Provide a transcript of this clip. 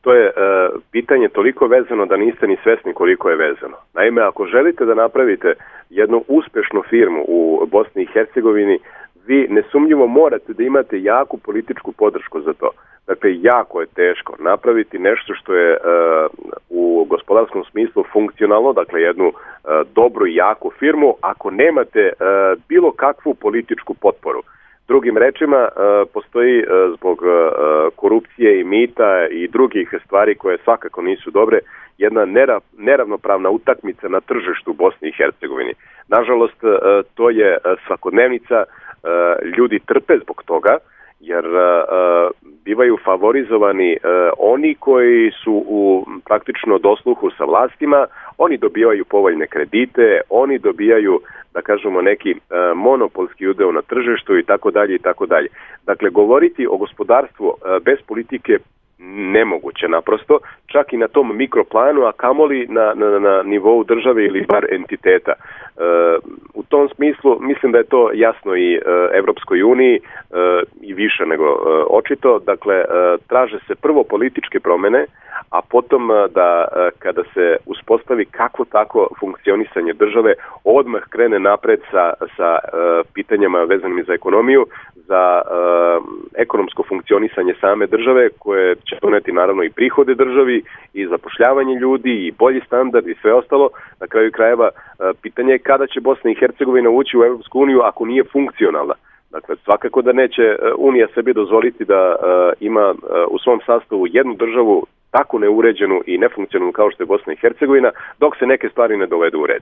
to je pitanje toliko vezano da niste ni svesni koliko je vezano. Naime, ako želite da napravite jednu uspešnu firmu u Bosni i Hercegovini, vi nesumnjivo morate da imate jaku političku podršku za to. Dakle, jako je teško napraviti nešto što je u gospodarskom smislu funkcionalno, dakle jednu dobru i jaku firmu, ako nemate bilo kakvu političku potporu. Drugim rečima, postoji zbog korupcije i mita i drugih stvari koje svakako nisu dobre, jedna neravnopravna utakmica na tržištu Bosni i Hercegovini. Nažalost, to je svakodnevnica, ljudi trpe zbog toga, jer bivaju favorizovani oni koji su u praktično dosluhu sa vlastima, oni dobijaju povoljne kredite, oni dobijaju, da kažemo, neki monopolski udeo na tržištu i tako dalje i tako dalje. Dakle, govoriti o gospodarstvu bez politike nemoguće naprosto, čak i na tom mikroplanu, a kamoli na nivou države ili bar entiteta. U tom smislu mislim da je to jasno i Evropskoj uniji i više nego očito. Dakle, traže se prvo političke promene, a potom da kada se uspostavi kako tako funkcionisanje države, odmah krene napred sa pitanjima vezanim za ekonomiju, za ekonomsko funkcionisanje same države, koje će doneti naravno i prihode državi i zapošljavanje ljudi i bolji standard i sve ostalo. Na kraju krajeva pitanje je kada će Bosna i Hercegovina ući u Evropsku uniju ako nije funkcionalna. Dakle, svakako da neće Unija sebi dozvoliti da ima u svom sastavu jednu državu tako neuređenu i nefunkcionalnu kao što je Bosna i Hercegovina, dok se neke stvari ne dovedu u red.